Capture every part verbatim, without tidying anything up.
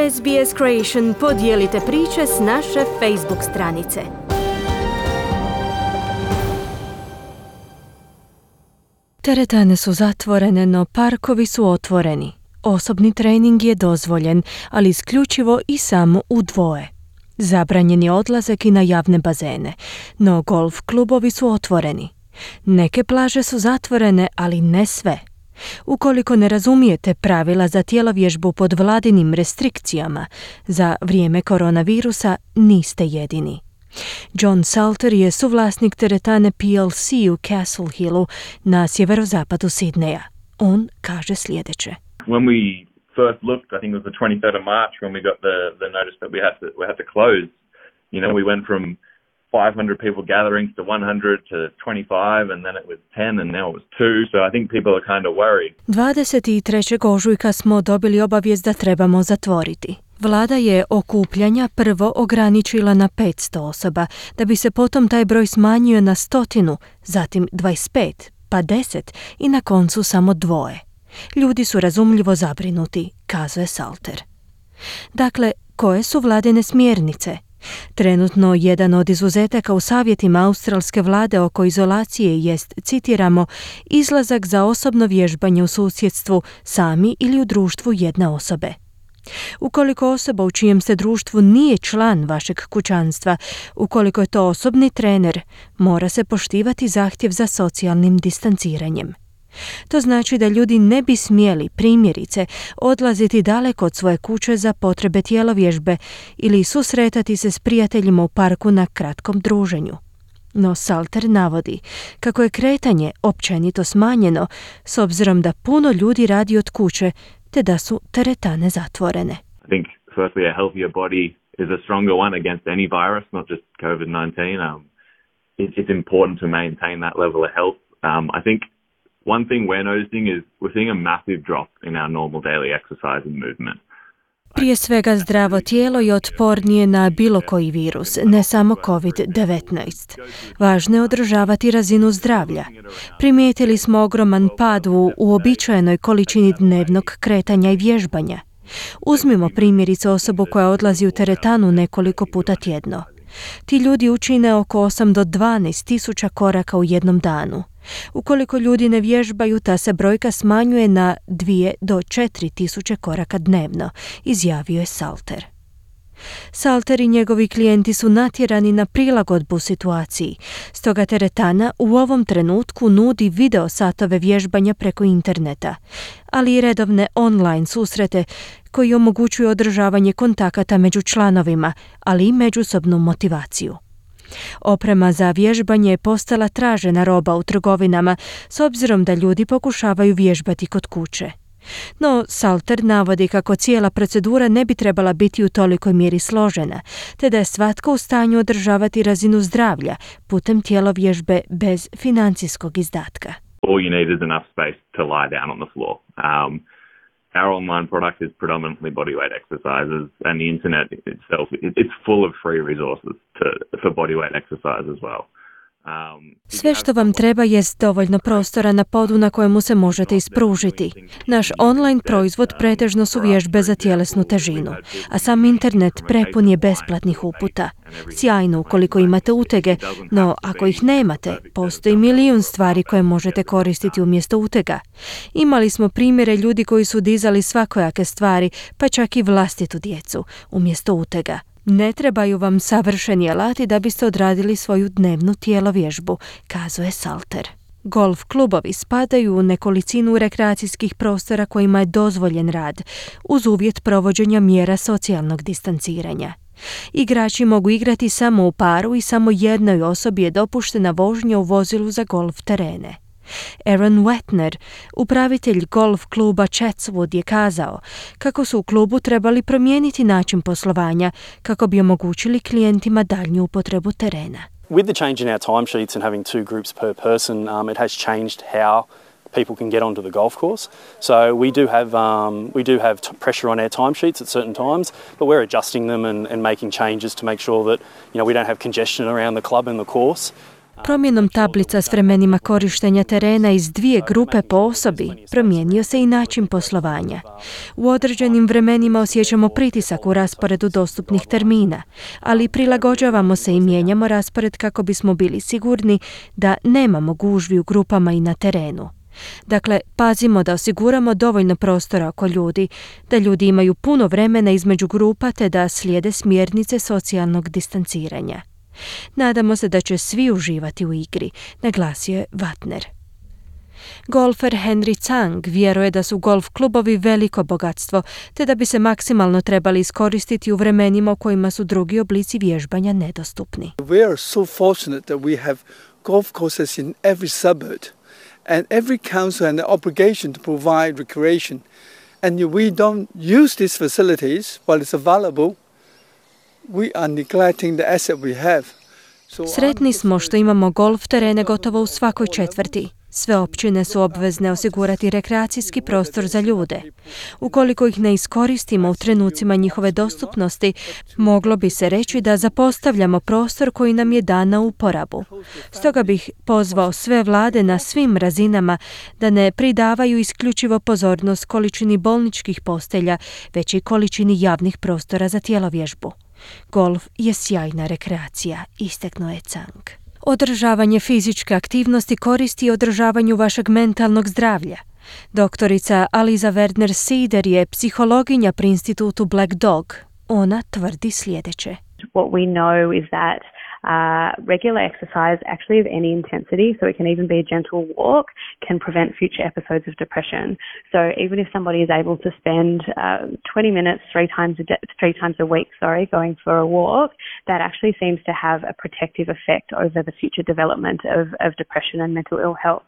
S B S Creation podijelite priče s naše Facebook stranice. Teretane su zatvorene, no parkovi su otvoreni. Osobni trening je dozvoljen, ali isključivo i samo u dvoje. Zabranjen je odlazak i na javne bazene, no golf klubovi su otvoreni. Neke plaže su zatvorene, ali ne sve. Ukoliko ne razumijete pravila za tjelovježbu pod vladinim restrikcijama, za vrijeme koronavirusa niste jedini. John Salter je suvlasnik teretane P L C u Castle Hillu na sjeverozapadu Sidneja. On kaže sljedeće. When we first looked, I think it was the twenty-third of March when we got the, the notice that we had to we had to close. You know, we went from five hundred people gatherings to one hundred to twenty-five, and then it was ten, and now it was two. So I think people are kind of worried. dvadeset trećeg ožujka smo dobili obavijest da trebamo zatvoriti. Vlada je okupljanja prvo ograničila na petsto osoba, da bi se potom taj broj smanjio na stotinu, zatim dvadeset pet, pa deset i na koncu samo dvoje. Ljudi su razumljivo zabrinuti, kazuje Salter. Dakle, koje su vladine smjernice? Trenutno jedan od izuzetaka u savjetima australske vlade oko izolacije jest, citiramo, izlazak za osobno vježbanje u susjedstvu sami ili u društvu jedne osobe. Ukoliko osoba u čijem ste društvu nije član vašeg kućanstva, ukoliko je to osobni trener, mora se poštivati zahtjev za socijalnim distanciranjem. To znači da ljudi ne bi smjeli, primjerice, odlaziti daleko od svoje kuće za potrebe tjelovježbe ili susretati se s prijateljima u parku na kratkom druženju. No Salter navodi kako je kretanje općenito smanjeno s obzirom da puno ljudi radi od kuće te da su teretane zatvorene. I think firstly a healthier body is a stronger one against any virus, not just COVID nineteen. Um, it, it's important to maintain that level of health. Um, I think one thing we're noticing is we're seeing a massive drop in our normal daily exercise and movement. Prije svega zdravo tijelo je otpornije na bilo koji virus, ne samo covid devetnaest. Važno je održavati razinu zdravlja. Primijetili smo ogroman pad u uobičajenoj količini dnevnog kretanja i vježbanja. Uzmimo primjerice osobu koja odlazi u teretanu nekoliko puta tjedno. Ti ljudi učine oko osam do dvanaest tisuća koraka u jednom danu. Ukoliko ljudi ne vježbaju, ta se brojka smanjuje na dvije do četiri tisuće koraka dnevno, izjavio je Salter. Salter i njegovi klijenti su natjerani na prilagodbu situaciji, stoga teretana u ovom trenutku nudi video satove vježbanja preko interneta, ali i redovne online susrete koji omogućuju održavanje kontakata među članovima, ali i međusobnu motivaciju. Oprema za vježbanje je postala tražena roba u trgovinama s obzirom da ljudi pokušavaju vježbati kod kuće. No, Salter navodi kako cijela procedura ne bi trebala biti u tolikoj mjeri složena, te da je svatko u stanju održavati razinu zdravlja putem tjelovježbe bez financijskog izdatka. All you need is enough space to lie down on the floor. Um, Our online product is predominantly bodyweight exercises, and the internet itself, it's full of free resources to, for bodyweight exercise as well. Um, Sve što vam treba jest dovoljno prostora na podu na kojemu se možete ispružiti. Naš online proizvod pretežno su vježbe za tjelesnu težinu, a sam internet prepun je besplatnih uputa. Sjajno ukoliko imate utege, no ako ih nemate, postoji milijun stvari koje možete koristiti umjesto utega. Imali smo primjere ljudi koji su dizali svakojake stvari, pa čak i vlastitu djecu, umjesto utega. Ne trebaju vam savršeni alati da biste odradili svoju dnevnu tjelovježbu, kazuje Salter. Golf klubovi spadaju u nekolicinu rekreacijskih prostora kojima je dozvoljen rad, uz uvjet provođenja mjera socijalnog distanciranja. Igrači mogu igrati samo u paru i samo jednoj osobi je dopuštena vožnja u vozilu za golf terene. Aaron Wetner, upravitelj golf kluba Chatswood, je kazao kako su u klubu trebali promijeniti način poslovanja kako bi omogućili klijentima daljnju upotrebu terena. With the change in our timesheets and having two groups per person, um, it has changed how people can get onto the golf course. So we do have um, we do have t- pressure on our timesheets at certain times, but we're adjusting them and, and making changes to make sure that, you know, we don't have congestion around the club and the course. Promjenom tablica s vremenima korištenja terena iz dvije grupe po osobi promijenio se i način poslovanja. U određenim vremenima osjećamo pritisak u rasporedu dostupnih termina, ali prilagođavamo se i mijenjamo raspored kako bismo bili sigurni da nemamo gužvi u grupama i na terenu. Dakle, pazimo da osiguramo dovoljno prostora oko ljudi, da ljudi imaju puno vremena između grupa te da slijede smjernice socijalnog distanciranja. Nadamo se da će svi uživati u igri, naglasio je Vatner. Golfer Henry Tsang vjeruje da su golf klubovi veliko bogatstvo, te da bi se maksimalno trebali iskoristiti u vremenima u kojima su drugi oblici vježbanja nedostupni. We are so fortunate that we have golf courses in every suburb. And every council has an obligation to provide recreation. And if we don't use these facilities while it's available, we are neglecting the asset we have. So Sretni smo što imamo golf terene gotovo u svakoj četvrti. Sve općine su obvezne osigurati rekreacijski prostor za ljude. Ukoliko ih ne iskoristimo u trenucima njihove dostupnosti, moglo bi se reći da zapostavljamo prostor koji nam je dan na uporabu. Stoga bih pozvao sve vlade na svim razinama da ne pridavaju isključivo pozornost količini bolničkih postelja, već i količini javnih prostora za tjelovježbu. Golf je sjajna rekreacija, istaknuo je Tsang. Održavanje fizičke aktivnosti koristi održavanju vašeg mentalnog zdravlja. Doktorica Aliza Werner-Sieder je psihologinja pri institutu Black Dog. Ona tvrdi sljedeće. What we know is that Uh, regular exercise, actually of any intensity, so it can even be a gentle walk, can prevent future episodes of depression. So even if somebody is able to spend uh, twenty minutes three times a day, three times a week, sorry, going for a walk, that actually seems to have a protective effect over the future development of, of depression and mental ill health.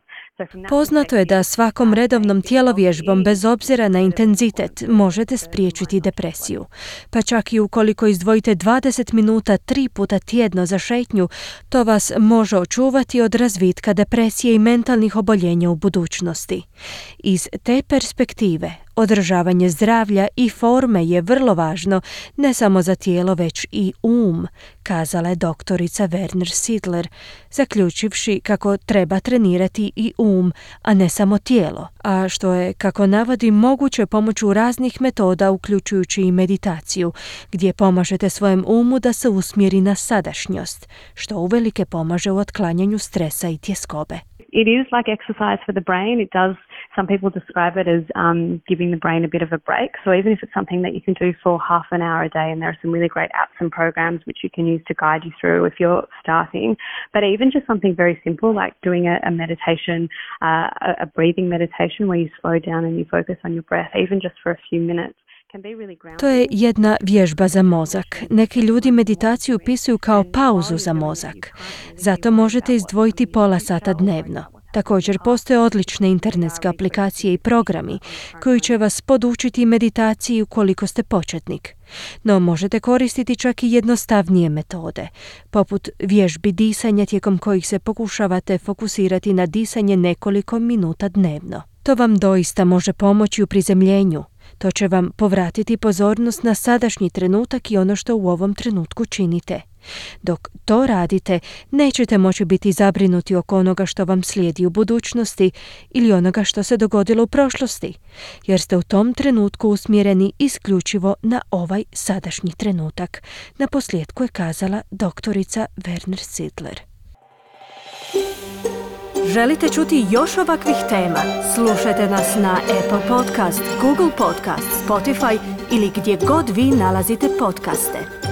Poznato je da svakom redovnom tjelovježbom, bez obzira na intenzitet, možete spriječiti depresiju. Pa čak i ukoliko izdvojite dvadeset minuta tri puta tjedno za šetnju, to vas može očuvati od razvitka depresije i mentalnih oboljenja u budućnosti. Iz te perspektive, održavanje zdravlja i forme je vrlo važno ne samo za tijelo, već i um, kazala je doktorica Werner-Siedler, zaključivši kako treba trenirati i um, a ne samo tijelo, a što je, kako navodi, moguće pomoću raznih metoda, uključujući i meditaciju, gdje pomažete svojem umu da se usmjeri na sadašnjost, što uvelike pomaže u otklanjanju stresa i tjeskobe. It is like exercise for the brain. It does, some people describe it as um, giving the brain a bit of a break. So even if it's something that you can do for half an hour a day, and there are some really great apps and programs which you can use to guide you through if you're starting, but even just something very simple like doing a, a meditation, uh, a, a breathing meditation where you slow down and you focus on your breath, even just for a few minutes. To je jedna vježba za mozak. Neki ljudi meditaciju upisuju kao pauzu za mozak. Zato možete izdvojiti pola sata dnevno. Također postoje odlične internetske aplikacije i programi koji će vas podučiti meditaciji ukoliko ste početnik. No možete koristiti čak i jednostavnije metode, poput vježbi disanja tijekom kojih se pokušavate fokusirati na disanje nekoliko minuta dnevno. To vam doista može pomoći u prizemljenju. To će vam povratiti pozornost na sadašnji trenutak i ono što u ovom trenutku činite. Dok to radite, nećete moći biti zabrinuti oko onoga što vam slijedi u budućnosti ili onoga što se dogodilo u prošlosti, jer ste u tom trenutku usmjereni isključivo na ovaj sadašnji trenutak. Na posljedku je kazala doktorica Werner-Siedler. Želite čuti još ovakvih tema? Slušajte nas na Apple Podcast, Google Podcast, Spotify ili gdje god vi nalazite podcaste.